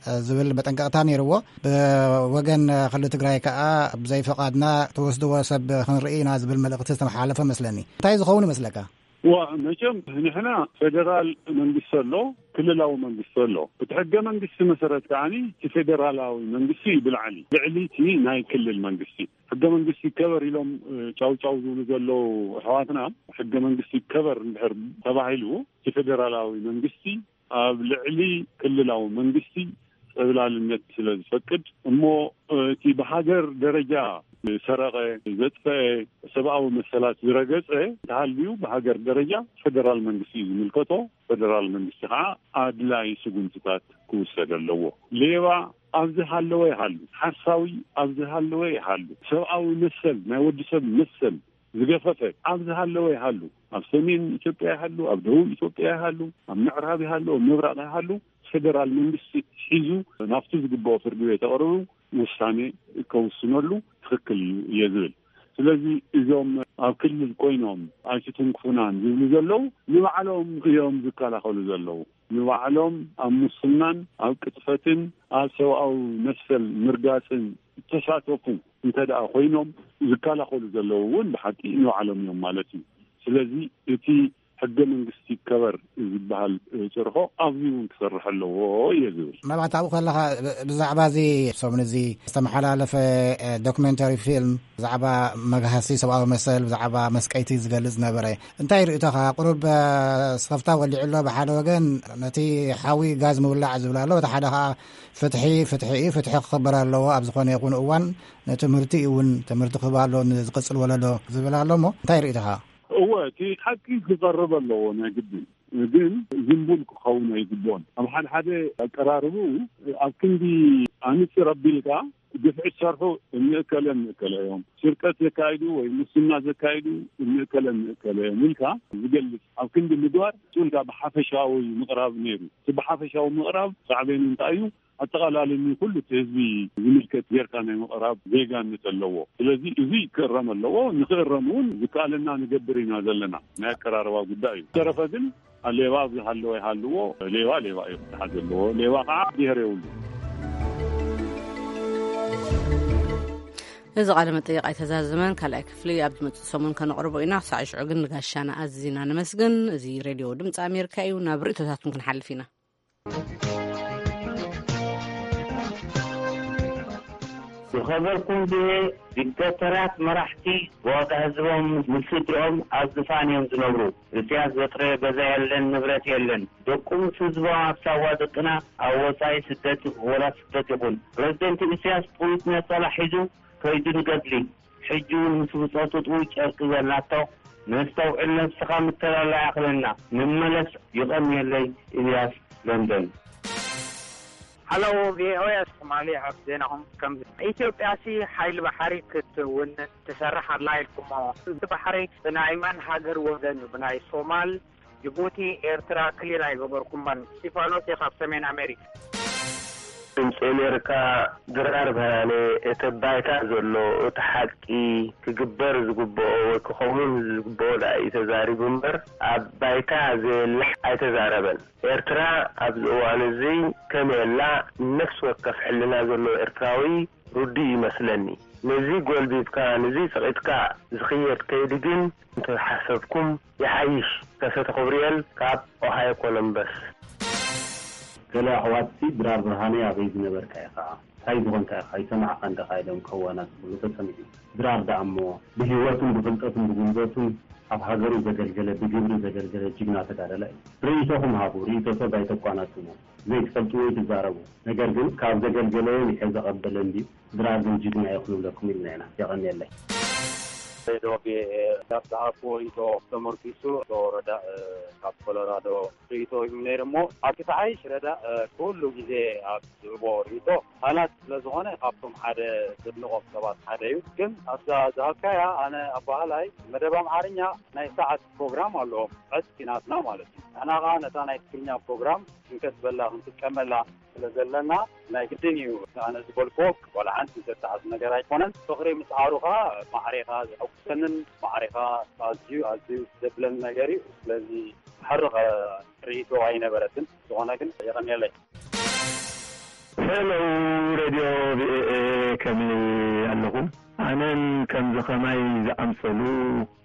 ዝብል መጠንቀቕታ ነይርዎ። ብወገን ክልል ትግራይ ከኣ ብዘይፍቓድና ትወስድዎ ሰብ ክንርኢ ኢና ዝብል መልእኽቲ ዝተመሓላለፈ መስለኒ። እንታይ ዝኸውን ይመስለካ? ዋ፣ መቸም ንሕና ፌደራል መንግስቲ ኣሎ፣ ክልላዊ መንግስቲ ኣሎ። እቲ ሕገ መንግስቲ መሰረት ከዓኒ እቲ ፌደራላዊ መንግስቲ እዩ ብላዕሊ፣ ልዕሊ እቲ ናይ ክልል መንግስቲ። ሕገ መንግስቲ ይከበር ኢሎም፣ እ፣ ጫው ጫው ዝብሉ ዘለዉ ኣሕዋትና፣ ሕገ መንግስቲ ይከበር እንድሕር ተባሂሉ፣ እቲ ፌደራላዊ መንግስቲ ኣብ ልዕሊ ክልላዊ መንግስቲ ጠብላልነት ስለ ዝፈቅድ እሞ እቲ ብሃገር ደረጃ ዝሰረቐ፣ ዘጥፈአ፣ ሰብኣዊ መሰላት ዝረገጸ እንተሃልዩ ብሃገር ደረጃ ፈደራል መንግስቲ እዩ ዝምልከቶ። ፈደራል መንግስቲ ከዓ ኣድላይ ስጉምትታት ክውሰድ ኣለዎ። ሌባ ኣብዚ ሃለወ ይሃሉ፣ ሓሳዊ ኣብዚ ሃለወ ይሃሉ፣ ሰብኣዊ መሰል ናይ ወዲ ሰብ መሰል ዝገፈፈ ኣብዚ ሃለወ ይሃሉ፣ ኣብ ሰሜን ኢትዮጵያ ይሃሉ፣ ኣብ ደቡብ ኢትዮጵያ ይሃሉ፣ ኣብ ምዕራብ ይሃሉ፣ ኣብ ምብራቕ ይሃሉ፣ ፌደራል መንግስቲ ሒዙ ናብቲ ዝግብኦ ፍርዲ ቤት ኣቕርቡ ውሳኔ ከውስነሉ ትኽክል እዩ እየ ዝብል። ስለዚ እዞም ኣብ ክልል ኮይኖም ኣይትትንክፉናን ዝብሉ ዘለዉ ንባዕሎም እዮም ዝከላኸሉ ዘለዉ። ንባዕሎም ኣብ ሙስናን ኣብ ቅጥፈትን ኣብ ሰብኣዊ መሰል ምርጋፅን እተሳተፉ እንተ ደኣ ኮይኖም ዝከላኸሉ ዘለዉ እውን ብሓቂ ንባዕሎም እዮም ማለት እዩ። ስለዚ እቲ ሕገ መንግስቲ ይከበር ዝበሃል ጭርሖ ኣብዚ እውን ክሰርሕ ኣለዎ እየ ዝብል። መብራት ኣብኡ ከለኻ ብ- ብዛዕባ እዚ ሰሙን እዚ ዝተመሓላለፈ እ፣ ዶክመንተሪ ፊልም ብዛዕባ መግሃሲ ሰብኣዊ መሰል ብዛዕባ መስቀይቲ ዝገልጽ ነበረ። እንታይ ርእቶኻ? ቁሩብ እ፣ ስኽፍታ ወሊዑ ኣሎ ብሓደ ወገን፣ ነቲ ሓዊ ጋዝ ምውላዕ ዝብል ኣሎ፣ እቲ ሓደ ኸዓ ፍትሒ ፍትሒ እዩ፣ ፍትሒ ክኽበር ኣለዎ ኣብ ዝኾነ ይኹን እዋን፣ ነቲ ምህርቲ እውን ትምህርቲ ክህብ ኣሎ ንዝቕጽል ወለዶ ዝብል ኣሎ። እሞ እንታይ ርእቶኻ? እወ፣ እቲ ሓቂ ክቐርብ ኣለዎ ናይ ግድን፣ ግን ዝንቡል ክኸውን ኣይግብኦን። ኣብ ሓደ ሓደ ኣቀራርቡ ኣብ ክንዲ ኣንጽር ኣቢልካ ግፍዒ ዝሰርሑ እንእከለ እንእከለ እዮም፣ ስርቀት ዘካይዱ ወይ ሙስና ዘካይዱ እንእከለ እንእከለ እዮም ኢልካ ዝገልጽ ኣብ ክንዲ ምግባር ሱልካ ብሓፈሻዊ ምቕራብ ነይሩ። እቲ ብሓፈሻዊ ምቕራብ ሳዕቤኑ እንታይ እዩ? ኣጠቓላሊ ንኩሉ እቲ ህዝቢ ዝምልከት ጌርካ ናይ ምቕራብ ዜጋነት ኣለዎ። ስለዚ እዚ ክእረም ኣለዎ። ንክእረም እውን ዝከኣለና ንገብር ኢና ዘለና። ናይ ኣቀራርባ ጉዳይ እዩ። ተረፈ ግን ሌባ ኣብዚ ሃለወ ይሃልዎ፣ ሌባ ሌባ እዩ ክተሓዝ ዘለዎ። ሌባ ከዓ ብሄር የብሉ። እዚ ቃለ መጠይቕ ኣይተዛዘመን። ካልኣይ ክፍሊ ኣብ ዝመፅእ ሰሙን ከነቕርቦ ኢና። ክሳዕ ሽዑ ግን ንጋሻና ኣዚና ነመስግን። እዚ ሬድዮ ድምፂ ኣሜሪካ እዩ። ናብ ርእቶታትኩም ክንሓልፍ ኢና። ዝኸበርኩም ቪኦኤ፣ ዲክታተራት መራሕቲ ብዋጋ ህዝቦም ምስ ስድርኦም ኣብ ዝፋን እዮም ዝነብሩ። እስያስ ዘጥረዮ ገዛ የለን፣ ንብረት የለን። ደቁ ምስ ህዝቦም ኣብ ሳዋ ደቅና ኣብ ወጻኢ ስደት ወላ ስደት ይኹን። ፕረዚደንት እስያስ ጥዊት ነጸላ ሒዙ ከይዱ ንገድሊ። ሕጂ እውን ምስ ብጾቱ ጥውይ ጨርቂ ዘላቶ ነስተውዕል፣ ነብስኻ ምተላላ ይኣኽለና። ንመለስ። ይቐንየለይ። ኢልያስ ለንደን። ሃሎ ቪኦኤ ሶማሊ፣ ኣብ ዜናኹም ከም ኢትዮጵያሲ ሓይሊ ባሕሪ ክትውን ትሰርሕ ኣላ ኢልኩሞ። እቲ ባሕሪ ብናይ መን ሃገር ወገን እዩ? ብናይ ሶማል፣ ጅቡቲ፣ ኤርትራ ክሊር ኣይገበርኩሞን። እስቲፋኖስ እየ ካብ ሰሜን ኣሜሪካ። ድምፂ ኣሜሪካ ድራር ብርሃነ እቲ ባይታ ዘሎ እቲ ሓቂ ክግበር ዝግብኦ ወይ ክኸውን ዝግብኦ ደኣ እዩ ተዛሪቡ እምበር ኣብ ባይታ ዘየለ ኣይተዛረበን። ኤርትራ ኣብዚ እዋን እዚ ከመይ ኣላ? ነፍሲ ወከፍ ሕልና ዘለዎ ኤርትራዊ ርዱእ ይመስለኒ። ነዚ ጎልቢብካ ነዚ ጸቒጥካ ዝኽየድ ከይዲ ግን እንተሓሰብኩም ይሓይሽ። ከሰተ ክብርኤል ካብ ኦሃዮ ኮሎምበስ። ገለ ኣሕዋትሲ ድራር ብርሃነይ ኣበይ ዝነበርካ ኢኻ? እንታይ ዝኾንካ ኢኻ? ኣይሰማዕኻን ዲኻ? ኢሎም ከዋናጽብሉ ተሰሚዑ። ድራር ደኣ እሞ ብህይወቱን ብፍልጠቱን ብጉልበቱን ኣብ ሃገሩ ዘገልገለ ብግብሪ ዘገልገለ ጅግና ተጋዳላይ እዩ። ርእይቶኹም ሃቡ። ርእይቶ ሰብ ኣይተቋናጽቡ። ዘይትፈልጥዎ ኣይትዛረቡ። ነገር ግን ካብ ዘገልገለዮ ሚሐ ዘቐበለ እንድዩ። ድራር ግን ጅግና እዩ ክንብለኩም ኢልና ኢና። የቐንየለይ። ሬድዮ ቪኦኤ ካብ ዝሃብኩዎ ርእይቶ ተመርኪሱ ኣቶ ረዳእ ካብ ኮሎራዶ ርእይቶ ሂቡ ነይሩ እሞ ኣቶ ተሓይሽ ረዳእ ኩሉ ግዜ ኣብ ዝህቦ ርእይቶ ቃላት ስለ ዝኾነ ካብቶም ሓደ ዘድንቖም ሰባት ሓደ እዩ። ግን ኣብዛ ዝሃብካያ ኣነ ኣባህላይ መደብ ኣምሓርኛ ናይ ሰዓት ፕሮግራም ኣለዎም ዕጽፊ ናትና ማለት እዩ። ንሕና ኸዓ ነታ ናይ ትግርኛ ፕሮግራም ክንከስበላ ክንጥቀመላ ስለ ዘለና ናይ ግድን እዩ። ኣነ ዝበልክዎ ዋላ ሓንቲ ዘተሓዝ ነገር ኣይኮነን። ፍቕሪ ምስ ዓሩኻ ማዕሬኻ ዘሐጉሰንን ማዕሬኻ ኣዝዩ ኣዝዩ ዘብለኒ ነገር እዩ። ስለዚ ሕርቕ ርእይቶ ኣይነበረትን። ዝኾነ ግን የቐንየለይ። ሄሎ ሬድዮ ቪኦኤ ከመይ ኣለኹም? ኣነን ከምዚ ኸማይ ዝኣምሰሉ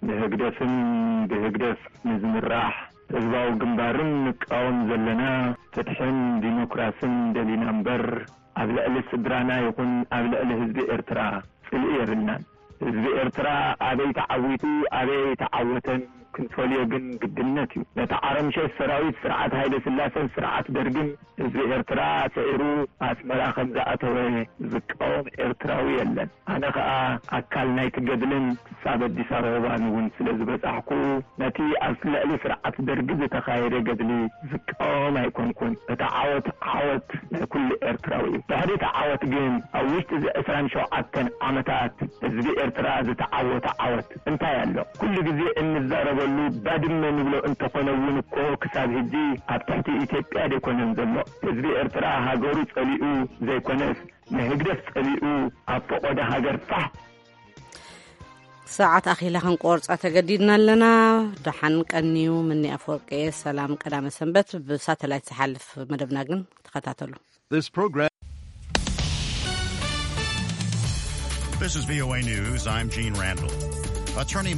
ንህግደፍን ብህግደፍ ንዝምራሕ ህዝባዊ ግንባርን ንቃወም ዘለና ፍትሕን ዲሞክራስን ደሊና እምበር ኣብ ልዕሊ ስድራና ይኹን ኣብ ልዕሊ ህዝቢ ኤርትራ ጽልኢ የብልናን። ህዝቢ ኤርትራ ኣበይ ተዓዊቱ ኣበይ ኣይተዓወተን ክንፈልዮ ግን ግድነት እዩ። ነቲ ዓረምሸሽ ሰራዊት ስርዓት ሃይለ ስላሰን ስርዓት ደርግን ህዝቢ ኤርትራ ስዒሩ ኣስመራ ከም ዝኣተወ ዝቃወም ኤርትራዊ የለን። ኣነ ከኣ ኣካል ናይቲ ገድልን ክሳብ ኣዲስ ኣበባን እውን ስለ ዝበጻሕኩ፣ ነቲ ኣብ ልዕሊ ስርዓት ደርጊ ዝተኻየደ ገድሊ ዝቃወም ኣይኮንኩን። እቲ ዓወት፣ ዓወት ናይ ኩሉ ኤርትራዊ እዩ። ድሕሪ እቲ ዓወት ግን፣ ኣብ ውሽጢ እዚ ዕስራን ሸውዓተን ዓመታት ህዝቢ ኤርትራ ዝተዓወተ ዓወት እንታይ ኣሎ? ኩሉ ግዜ እንዛረበሉ ባድመ ንብሎ እንተኾነ እውን እኮ፣ ክሳብ ሕጂ ኣብ ትሕቲ ኢትዮጵያ ደይኮነን ዘሎ። ህዝቢ ኤርትራ ሃገሩ ጸሊኡ ዘይኮነስ፣ ንህግደፍ ጸሊኡ ኣብ ፈቖዶ ሃገር ፋሕ። ሰዓት ኣኺላ ክንቆርጻ ተገዲድና ኣለና። ደሓን ቀንዩ። ምኒ ኣፈወርቂ። ሰላም ቀዳመ ሰንበት። ብሳተላይት ዝሓልፍ መደብና ግን ተኸታተሉ። This program. This is V O A News. I'm Gene Randall. Attorney